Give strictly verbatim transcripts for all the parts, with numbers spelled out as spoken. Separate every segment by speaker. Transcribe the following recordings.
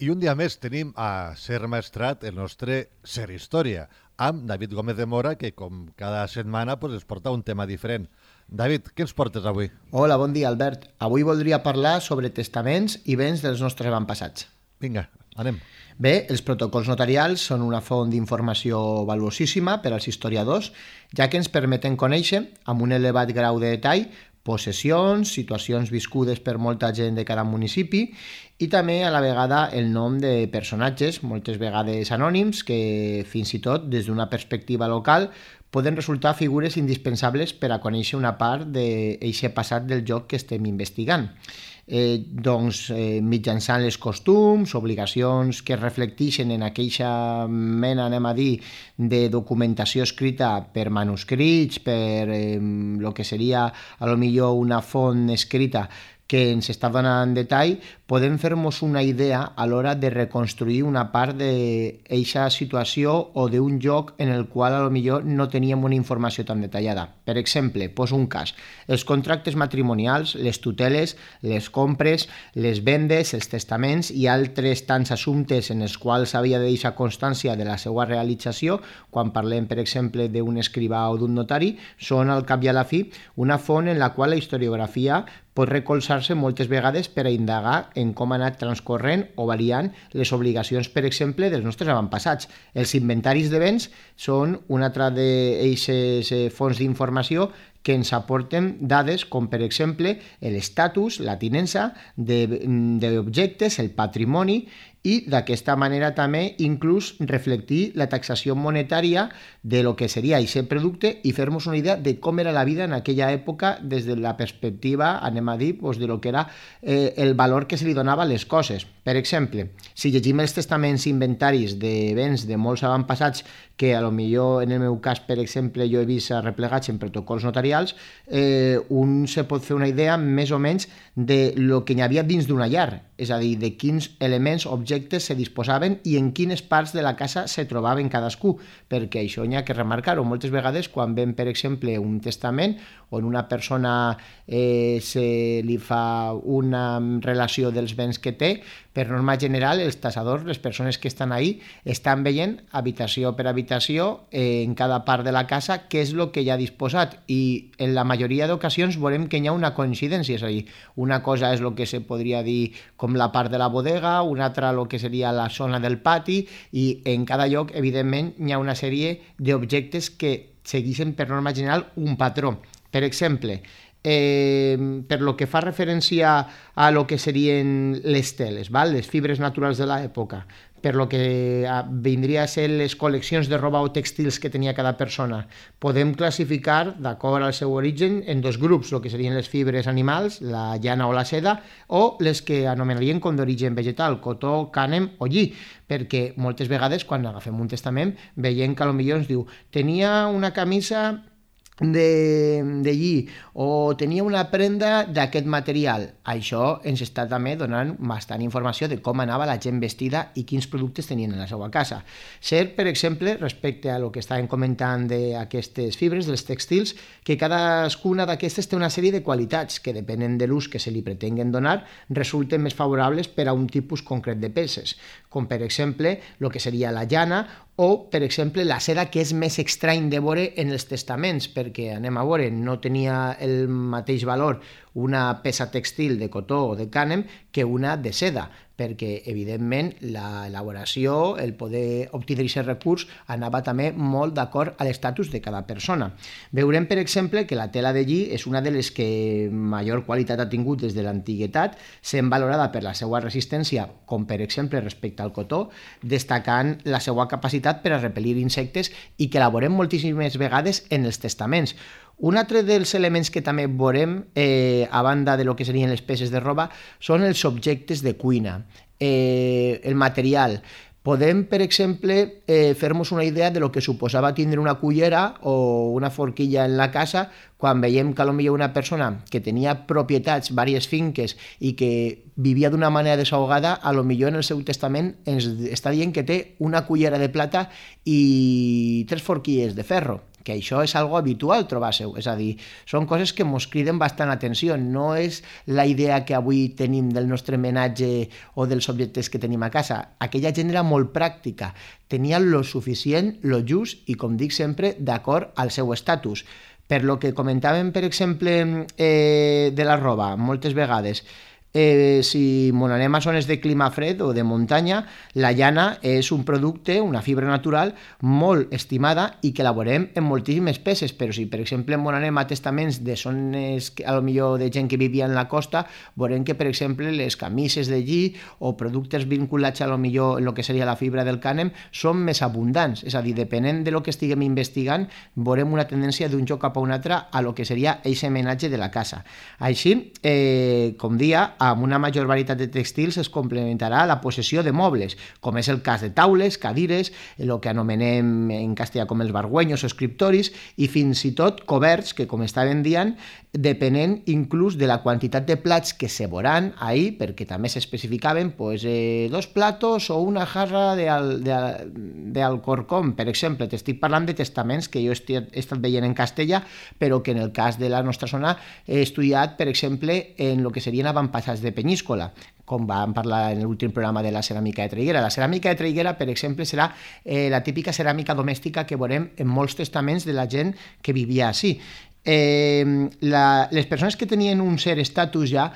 Speaker 1: I un dia més tenim a Ser Maestrat el nostre Ser Història, amb David Gómez de Mora, que com cada setmana pues, es porta un tema diferent. David, què ens portes avui?
Speaker 2: Hola, bon dia, Albert. Avui voldria parlar sobre testaments i béns dels nostres avantpassats.
Speaker 1: Vinga, anem.
Speaker 2: Bé, els protocols notarials són una font d'informació valuosíssima per als historiadors, ja que ens permeten conèixer, amb un elevat grau de detall, possessions, situacions viscudes per molta gent de cada municipi i també a la vegada el nom de personatges, moltes vegades anònims, que fins i tot des d'una perspectiva local poden resultar figures indispensables per a conèixer una part d'aquest passat del joc que estem investigant. Eh, doncs, eh, mitjançant les costums, obligacions que reflecteixen en aquella mena, anem a dir, de documentació escrita per manuscrits, per eh, lo que seria a lo millor una font escrita que ens està donant detall, podem fer-nos una idea a l'hora de reconstruir una part d'aquesta situació o d'un joc en el qual a lo millor no teníem una informació tan detallada. Per exemple, poso un cas, els contractes matrimonials, les tuteles, les compres, les vendes, els testaments i altres tants assumptes en els quals s'havia de deixar constància de la seva realització, quan parlem, per exemple, d'un escrivà o d'un notari, són al cap i a la fi una font en la qual la historiografia pot recolzar-se moltes vegades per a indagar en com ha anat transcorrent o variant les obligacions, per exemple, dels nostres avantpassats. Els inventaris de béns són una altra d'aquestes fonts d'informació que ens aporten dades com, per exemple, l'estatus, la tinença d'objectes, el patrimoni, i d'aquesta manera també inclús reflectir la taxació monetària de lo que seria aquest producte i fer-nos una idea de com era la vida en aquella època des de la perspectiva, anem a dir, doncs, de lo que era eh, el valor que se li donava a les coses. Per exemple, si llegim els testaments i inventaris de béns de molts avantpassats que a lo millor en el meu cas, per exemple, jo he vist replegats en protocols notarials, eh, un se pot fer una idea més o menys de lo que hi havia dins d'una llar, és a dir, de quins elements, objectes se disposaven i en quines parts de la casa se trobaven cadascú, perquè això n'hi ha que remarcar-ho. Moltes vegades quan ven, per exemple, un testament on una persona eh, se li fa una relació dels béns que té, per norma general, els tassadors, les persones que estan ahí, estan veient habitació per habitació eh, en cada part de la casa què és el que hi ha disposat i en la majoria d'ocasions veurem que hi ha una coincidència, és a dir, una cosa és el que se podria dir com la part de la bodega, una altra el que seria la zona del pati i en cada lloc, evidentment, hi ha una sèrie d'objectes que segueixen per norma general un patró. Per exemple, Eh, per lo que fa referència a lo que serien les teles, val? Les fibres naturals de l'època, per lo que vindria a ser les col·leccions de roba o textils que tenia cada persona, podem classificar, d'acord al seu origen, en dos grups, el que serien les fibres animals, la llana o la seda, o les que anomenarien com d'origen vegetal, cotó, cànem o lli, perquè moltes vegades quan agafem un testament veiem que potser ens diu tenia una camisa de, de lli o tenia una prenda d'aquest material. Això ens està també donant bastant informació de com anava la gent vestida i quins productes tenien en la seva casa. Cert, per exemple, respecte a lo que estàvem comentant d'aquestes fibres, dels textils, que cadascuna d'aquestes té una sèrie de qualitats que depenen de l'ús que se li pretenguen donar, resulten més favorables per a un tipus concret de peces, com per exemple el que seria la llana o, per exemple, la seda, que és més estrany de veure en els testaments, perquè, anem a veure, no tenia el mateix valor una peça textil de cotó o de cànem que una de seda, perquè, evidentment, l'elaboració, el poder obtenir aquest recurs, anava també molt d'acord a l'estatus de cada persona. Veurem, per exemple, que la tela de lli és una de les que major qualitat ha tingut des de l'antiguitat, sent valorada per la seva resistència, com per exemple respecte al cotó, destacant la seva capacitat per a repel·lir insectes i que la veurem moltíssimes vegades en els testaments. Un altre dels elements que també veurem, eh, a banda de lo que serien les peces de roba, són els objectes de cuina, eh, el material. Podem, per exemple, eh, fer-nos una idea de lo que suposava tindre una cullera o una forquilla en la casa quan veiem que potser una persona que tenia propietats, diverses finques i que vivia d'una manera desahogada, a lo millor en el seu testament ens està dient que té una cullera de plata i tres forquilles de ferro. que això és algo habitual trobar-se-ho, és a dir, són coses que ens criden bastant atenció, no és la idea que avui tenim del nostre menatge o dels objectes que tenim a casa. Aquella gent era molt pràctica, tenia lo suficient, lo just i, com dic sempre, d'acord al seu estatus. Per lo que comentàvem, per exemple, eh, de la roba, moltes vegades, Eh, si mon anem a zones de clima fred o de muntanya, la llana és un producte, una fibra natural molt estimada i que elaborem en moltíssimes peces, però si per exemple mon anem a testaments de zones a lo millor de gent que vivia en la costa, veurem que per exemple les camises de lli o productes vinculats a lo millor en el que seria la fibra del cànem són més abundants, és a dir, depenent de lo que estiguem investigant, veurem una tendència d'un lloc cap a un altre a lo que seria eixe menatge de la casa. Així, eh, com dia, amb una major varietat de textils es complementarà la possessió de mobles, com és el cas de taules, cadires, el que anomenem en castellà com els barguenyos o escriptoris, i fins i tot coberts, que com estàvem dient, depenent inclús de la quantitat de plats que se veuran ahir, perquè també s'especificaven pues, eh, dos platos o una jarra d'Alcorcón, per exemple. T'estic parlant de testaments que jo he estat veient en castellà, però que en el cas de la nostra zona he estudiat, per exemple, en el que serien avantpassats de Penyíscola, com vam parlar en l'últim programa de la ceràmica de Traiguera. La ceràmica de Traiguera, per exemple, serà eh, la típica ceràmica domèstica que veurem en molts testaments de la gent que vivia així. Eh, la, les persones que tenien un cert estatus ja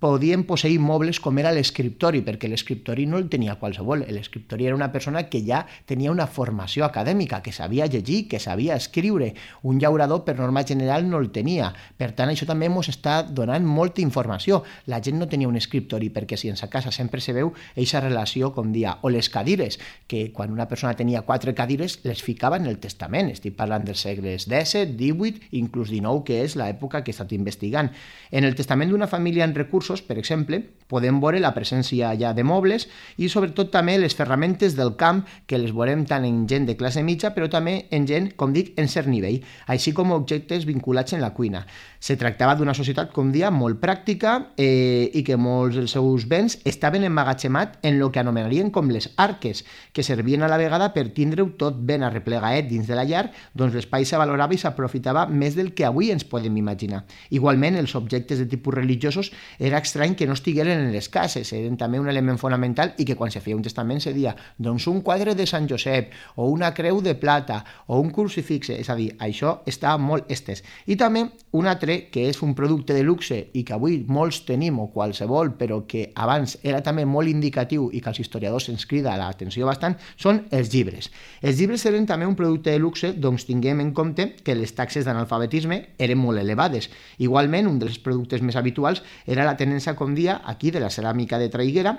Speaker 2: podien posseir mobles com era l'escriptori, perquè l'escriptori no el tenia qualsevol, l'escriptori era una persona que ja tenia una formació acadèmica, que sabia llegir, que sabia escriure. Un llaurador per norma general no el tenia, per tant això també ens està donant molta informació. La gent no tenia un escriptori, perquè si en sa casa sempre se veu aquesta relació com dia, o les cadires, que quan una persona tenia quatre cadires les ficava en el testament, estic parlant dels segles disset, divuit, inclús dinou, que és l'època que he estat investigant. En el testament d'una família en recursos, per exemple, podem veure la presència ja de mobles i sobretot també les ferramentes del camp, que les veurem tant en gent de classe mitja, però també en gent, com dic, en cert nivell, així com objectes vinculats en la cuina. Se tractava d'una societat, com dia, molt pràctica eh, i que molts dels seus béns estaven emmagatzemats en el que anomenarien com les arques, que servien a la vegada per tindre-ho tot ben arreplegaet dins de la llar, doncs l'espai se valorava i s'aprofitava més del que avui ens podem imaginar. Igualment, els objectes de tipus religiosos era estrany que no estigueren en les cases, eren també un element fonamental i que quan se feia un testament se deia doncs un quadre de Sant Josep o una creu de plata o un crucifix, és a dir, això estava molt estès. I també un altre que és un producte de luxe i que avui molts tenim o qualsevol, però que abans era també molt indicatiu i que als historiadors ens crida l'atenció bastant, són els llibres. Els llibres eren també un producte de luxe, doncs tinguem en compte que les taxes d'analfabetisme eren molt elevades. Igualment, un dels productes més habituals era la tenença com dia aquí de la ceràmica de Traiguera,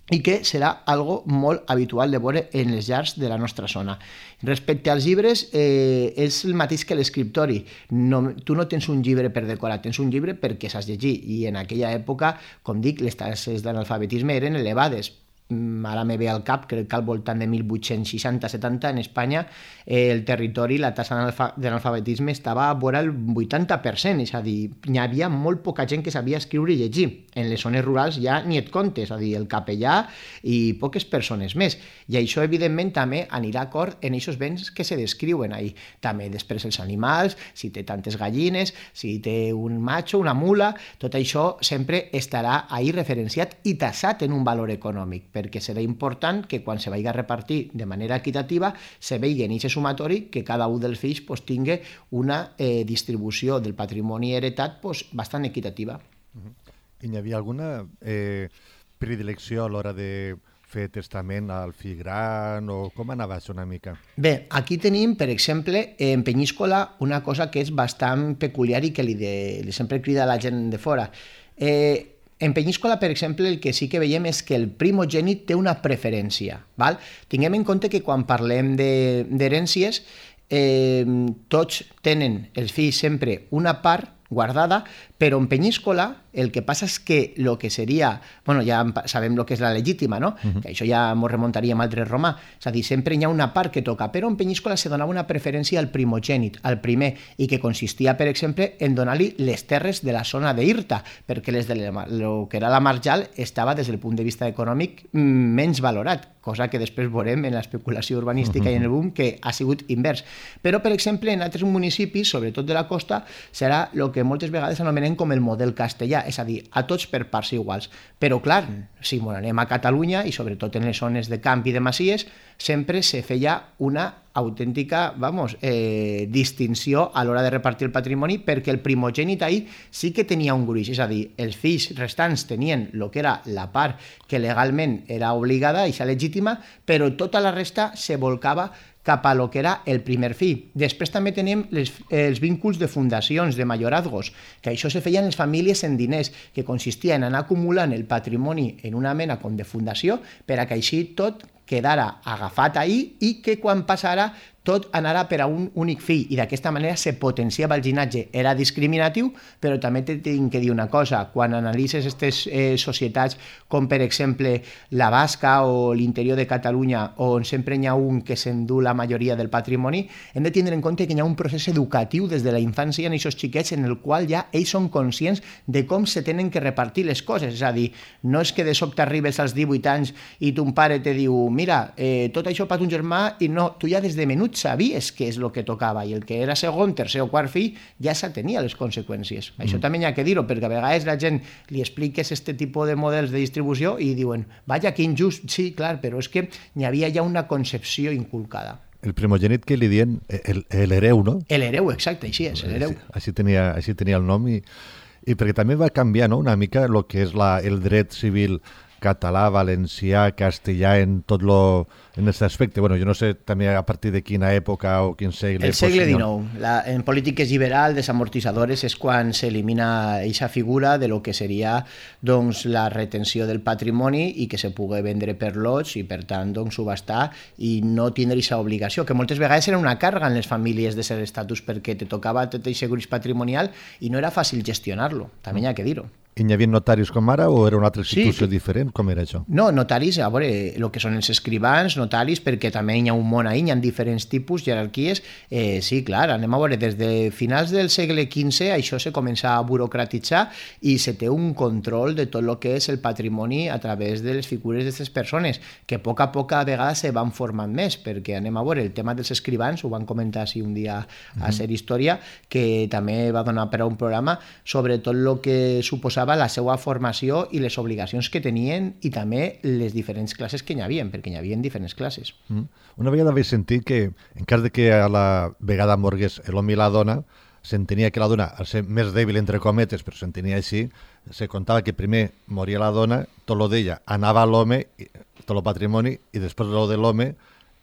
Speaker 2: i que serà algo molt habitual de veure en les llars de la nostra zona. Respecte als llibres, eh, és el mateix que l'escriptori. No, tu no tens un llibre per decorar, tens un llibre perquè saps llegir, i en aquella època, com dic, les taxes d'analfabetisme eren elevades. Ara me ve al cap, crec que al voltant de mil vuit-cents seixanta setanta en Espanya eh, el territori, la tassa d'analfabetisme estava a vora el vuitanta per cent, és a dir, hi havia molt poca gent que sabia escriure i llegir. En les zones rurals ja ni et compte, és a dir, el capellà i poques persones més. I això, evidentment, també anirà d'acord en aquests béns que se descriuen ahir. També després els animals, si té tantes gallines, si té un macho, una mula, tot això sempre estarà ahir referenciat i tassat en un valor econòmic, perquè serà important que quan se vagi a repartir de manera equitativa se vegi en aquest sumatori que cada un dels fills pues, tingui una eh, distribució del patrimoni heretat pues, bastant equitativa.
Speaker 1: Uh-huh. I hi havia alguna eh, predilecció a l'hora de fer testament al fill gran o com anava això una mica?
Speaker 2: Bé, aquí tenim, per exemple, en Penyíscola una cosa que és bastant peculiar i que li, de, li sempre crida a la gent de fora. Eh, En Penyíscola, per exemple, el que sí que veiem és que el primogènit té una preferència. Val? Tinguem en compte que quan parlem d'herències, eh, tots tenen els fills sempre una part guardada, però en Penyíscola el que passa és que el que seria, bueno, ja sabem el que és la legítima, no? Uh-huh. Que això ja ens remuntaríem al dret romà, és a dir, sempre hi ha una part que toca, però en Penyíscola se donava una preferència al primogènit, al primer, i que consistia, per exemple, en donar-li les terres de la zona d'Irta, perquè les de el que era la marjal estava, des del punt de vista econòmic, menys valorat. cosa que després veurem en l'especulació urbanística uh-huh. i en el boom, que ha sigut invers. Però, per exemple, en altres municipis, sobretot de la costa, serà el que moltes vegades anomenen com el model castellà, és a dir, a tots per parts iguals. Però, clar, si ens anem a Catalunya, i sobretot en les zones de camp i de masies, sempre se feia una autèntica, vamos, eh, distinció a l'hora de repartir el patrimoni, perquè el primogènit ahir sí que tenia un gruix, és a dir, els fills restants tenien el que era la part que legalment era obligada i legítima, però tota la resta se volcava cap a lo que era el primer fill. Després també tenim les, els vínculs de fundacions, de mayorazgos, que això se feia en les famílies en diners, que consistia en anar acumulant el patrimoni en una mena com de fundació per a que així tot quedara agafat ahir i que quan passara tot anara per a un únic fill, i d'aquesta manera se potenciava el llinatge. Era discriminatiu, però també t'he de dir una cosa, quan analitzes aquestes eh, societats com per exemple la Basca o l'interior de Catalunya, on sempre hi ha un que s'endú la majoria del patrimoni, hem de tindre en compte que hi ha un procés educatiu des de la infància en aquests xiquets en el qual ja ells són conscients de com se tenen que repartir les coses, és a dir, no és que de sobte arribes als divuit anys i ton pare te diu, mira, eh, tot això per ton germà, i no, tu ja des de menut sabies què és el que tocava, i el que era segon, tercer o quart fill ja se tenia les conseqüències. Mm. Això també hi ha que dir-ho, perquè a vegades la gent li expliques aquest tipus de models de distribució i diuen, vaja, que injust. Sí, clar, però és que hi havia ja una concepció inculcada.
Speaker 1: El primogènit que li dien l'hereu, no?
Speaker 2: L'hereu, exacte, així és, l'hereu.
Speaker 1: Així tenia, així tenia el nom, i, i perquè també va canviar, no?, una mica el que és la, el dret civil català, valencià, castellà, en tot lo, en aquest aspecte. Bueno, jo no sé també a partir de quina època o quin segle...
Speaker 2: El segle dinou. La, en polítiques liberals, desamortitzadores, és quan s'elimina aquesta figura de lo que seria doncs, la retenció del patrimoni i que se pugui vendre per lots i, per tant, doncs, subhastar i no tindre aquesta obligació, que moltes vegades era una càrrega en les famílies de ser estatus perquè te tocava tot aquest gruix patrimonial i no era fàcil gestionar-lo. També hi ha que dir-ho.
Speaker 1: I hi havia notaris com ara o era una altra institució
Speaker 2: sí,
Speaker 1: diferent? Com era això?
Speaker 2: No, notaris, a veure, el que són els escrivans, notaris, perquè també hi ha un món ahí, hi ha diferents tipus, jerarquies. Eh, sí, clar, anem a veure, des de finals del segle quinze això se comença a burocratitzar i se té un control de tot el que és el patrimoni a través de les figures d'aquestes persones, que a poc a poc a vegades se van formant més, perquè anem a veure, el tema dels escrivans, ho van comentar sí, un dia a Ser Història, que també va donar per a un programa sobre tot el que suposava la seva formació i les obligacions que tenien i també les diferents classes que hi havia, perquè hi havia diferents classes.
Speaker 1: Mm. Una vegada vaig sentir que, en cas de que a la vegada morgués l'home i la dona, s'entenia que la dona, al ser més dèbil entre cometes, però s'entenia així, se contava que primer moria la dona, tot lo d'ella anava a l'home, tot el patrimoni, i després lo de l'home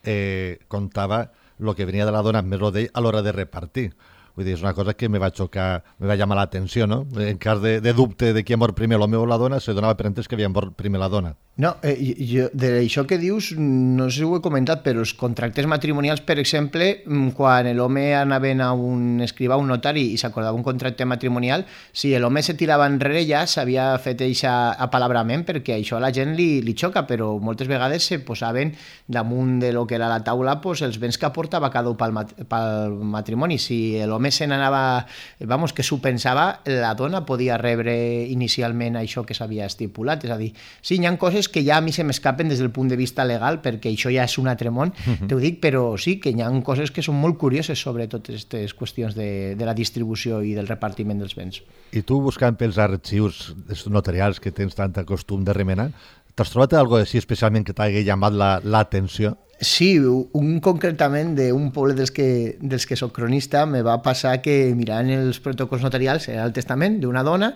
Speaker 1: eh, contava el que venia de la dona més lo d'ell a l'hora de repartir. Vull dir, és una cosa que me va xocar, me va llamar l'atenció, no? En cas de, de dubte de qui ha mort primer l'home o la dona, se donava per entès que havia mort primer la dona.
Speaker 2: No, eh, jo, d'això que dius, no sé si ho he comentat, però els contractes matrimonials, per exemple, quan l'home anava a un escrivà, un notari, i s'acordava un contracte matrimonial, si l'home se tirava enrere ja s'havia fet aquest apalabrament, perquè això a la gent li, li xoca, però moltes vegades se posaven damunt de lo que era la taula pues, els béns que aportava cada un pel, mat pel matrimoni. Si l'home se n'anava, vamos, que s'ho pensava, la dona podia rebre inicialment això que s'havia estipulat. És a dir, sí, hi ha coses que ja a mi se m'escapen des del punt de vista legal, perquè això ja és un altre món, uh-huh. T'ho dic, però sí que hi ha coses que són molt curioses sobre totes aquestes qüestions de, de la distribució i del repartiment dels béns.
Speaker 1: I tu, buscant pels arxius notarials que tens tant costum de remenar, t'has trobat alguna cosa així especialment que t'hagi llamat l'atenció? La,
Speaker 2: sí, un concretament d'un poble dels que, dels que soc cronista me va passar que mirant els protocols notarials era el testament d'una dona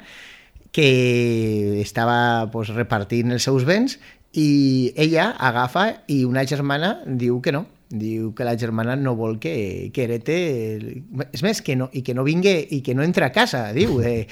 Speaker 2: que estava pues, repartint els seus béns i ella agafa i una germana diu que no, diu que la germana no vol que, que herete, és més, que no, i que no vingui i que no entra a casa, diu. Eh,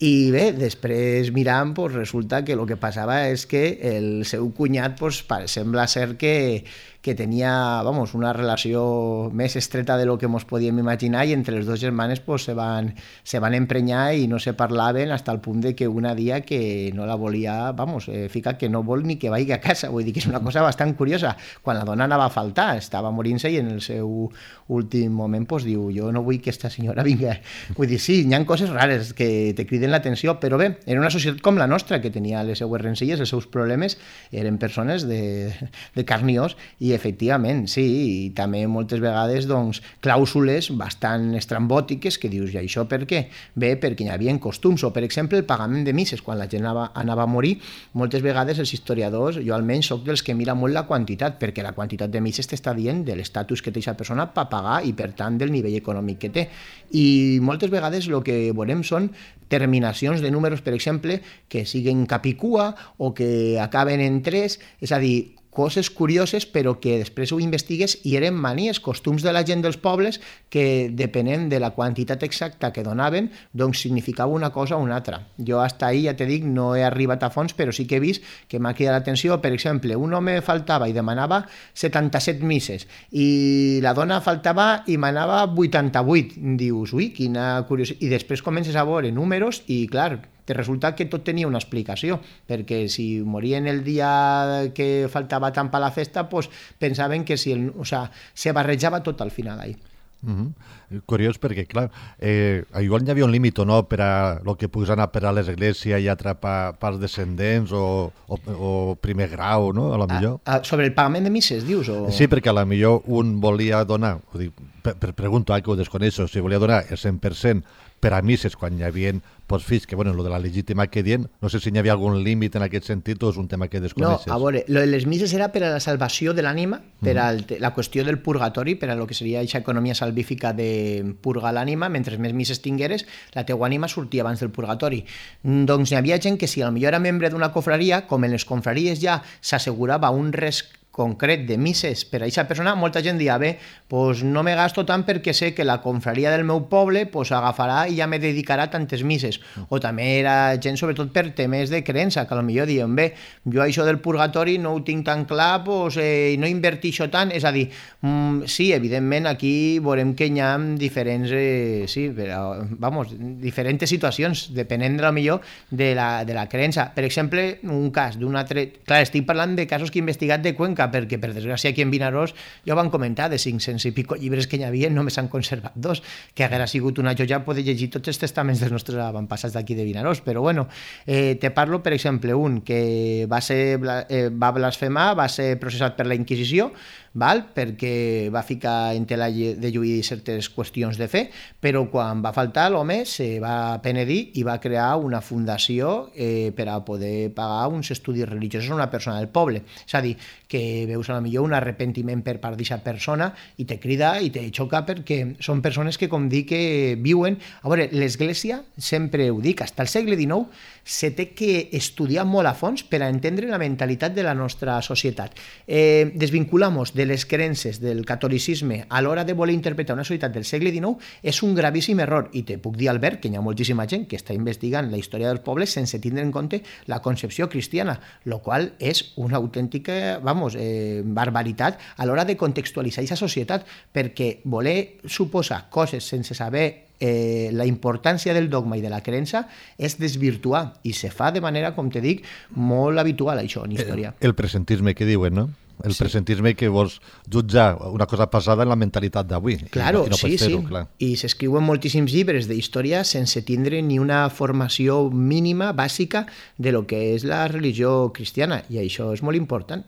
Speaker 2: I bé, després mirant, pues, resulta que el que passava és que el seu cunyat pues, sembla ser que, que tenia vamos, una relació més estreta de lo que ens podíem imaginar i entre les dues germanes pues, se, van, se van emprenyar i no se parlaven fins al punt de que una dia que no la volia, vamos, eh, fica que no vol ni que vagi a casa, vull dir que és una cosa bastant curiosa. Quan la dona anava a faltar, estava morint-se i en el seu últim moment pues, diu, jo no vull que esta senyora vinga. Vull dir, sí, hi ha coses rares que te criden criden l'atenció, però bé, era una societat com la nostra, que tenia les seues rencilles, els seus problemes, eren persones de, de carn i os, i efectivament, sí, i també moltes vegades doncs, clàusules bastant estrambòtiques que dius, i això per què? Bé, perquè hi havia costums, o per exemple el pagament de misses, quan la gent anava, anava a morir, moltes vegades els historiadors, jo almenys soc dels que mira molt la quantitat, perquè la quantitat de misses t'està dient de l'estatus que té aquesta persona per pagar i per tant del nivell econòmic que té. I moltes vegades el que veurem són terminacions de números, per exemple, que siguen capicua o que acaben en tres, és a dir, coses curioses però que després ho investigues i eren manies, costums de la gent dels pobles que depenent de la quantitat exacta que donaven, doncs significava una cosa o una altra. Jo hasta ahí, ja te dic, no he arribat a fons, però sí que he vist que m'ha cridat l'atenció. Per exemple, un home faltava i demanava setanta-set misses i la dona faltava i manava vuitanta-vuit. Dius, ui, quina curiositat. I després comences a veure números i, clar, te resulta que tot tenia una explicació, perquè si morien el dia que faltava tant per la festa, pues, pensaven que si el, o sea, se barrejava tot al final ahí.
Speaker 1: Uh-huh. Curiós perquè, clar, eh, igual hi havia un límit o no per a el que puguis anar per a l'església i atrapar pels descendents o, o, o primer grau, no? A lo millor.
Speaker 2: A, a, sobre el pagament de misses, dius? O...
Speaker 1: Sí, perquè a lo millor un volia donar, ho dic, per, per pregunto, eh, que ho desconeixo, si volia donar el cent per cent per a misses quan hi havia pues, fills, que bueno, lo de la legítima que dient, no sé si hi havia algun límit en aquest sentit o és un tema que desconeixes.
Speaker 2: No, a veure, lo de les misses era per a la salvació de l'ànima, per a mm. la qüestió del purgatori, per a lo que seria aquesta economia salvífica de purgar l'ànima, mentre més misses tingueres, la teua ànima sortia abans del purgatori. Doncs hi havia gent que si potser era membre d'una confraria, com en les confraries ja s'assegurava un resc concret de misses per a aquesta persona, molta gent dia, bé, pues no me gasto tant perquè sé que la confraria del meu poble pues agafarà i ja me dedicarà tantes misses. O també era gent, sobretot per temes de creença, que potser diuen, bé, jo això del purgatori no ho tinc tan clar, pues, eh, no invertixo tant, és a dir, mm, sí, evidentment aquí veurem que hi ha diferents, eh, sí, però, vamos, diferents situacions, depenent de, millor de la, de la creença. Per exemple, un cas d'un altre... Clar, estic parlant de casos que he investigat de Cuenca, perquè per desgràcia aquí en Vinaròs ja ho van comentar, de cinc-cents i pico llibres que hi havia només s'han conservat dos, que haguera sigut una joia poder llegir tots els testaments dels nostres avantpassats d'aquí de Vinaròs, però bueno, eh, te parlo per exemple un que va, ser, eh, va blasfemar, va ser processat per la Inquisició, val? Perquè va ficar en tela de lluir certes qüestions de fe, però quan va faltar l'home se va penedir i va crear una fundació eh, per a poder pagar uns estudis religiosos a una persona del poble. És a dir, que veus a la millor un arrepentiment per part d'aquesta persona i te crida i te xoca perquè són persones que, com dic, que viuen... A veure, l'Església, sempre ho dic, fins al segle dinou se té que estudiar molt a fons per a entendre la mentalitat de la nostra societat. Eh, desvinculamos de les creences del catolicisme a l'hora de voler interpretar una societat del segle dinou és un gravíssim error, i te puc dir, Albert, que hi ha moltíssima gent que està investigant la història dels pobles sense tindre en compte la concepció cristiana, lo qual és una autèntica, vamos, eh, barbaritat a l'hora de contextualitzar aquesta societat, perquè voler suposar coses sense saber Eh, la importància del dogma i de la creença és desvirtuar, i se fa de manera, com te dic, molt habitual això en història.
Speaker 1: El, el presentisme que diuen, no? El sí. presentisme que vols jutjar una cosa passada en la mentalitat d'avui.
Speaker 2: Claro,
Speaker 1: i no, i no
Speaker 2: sí, sí.
Speaker 1: Clar.
Speaker 2: I s'escriuen moltíssims llibres d'història sense tindre ni una formació mínima, bàsica, de lo que és la religió cristiana, i això és molt important.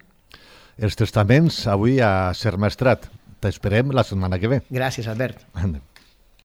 Speaker 1: Els testaments avui a Ser Maestrat. T'esperem la setmana que ve.
Speaker 2: Gràcies, Albert.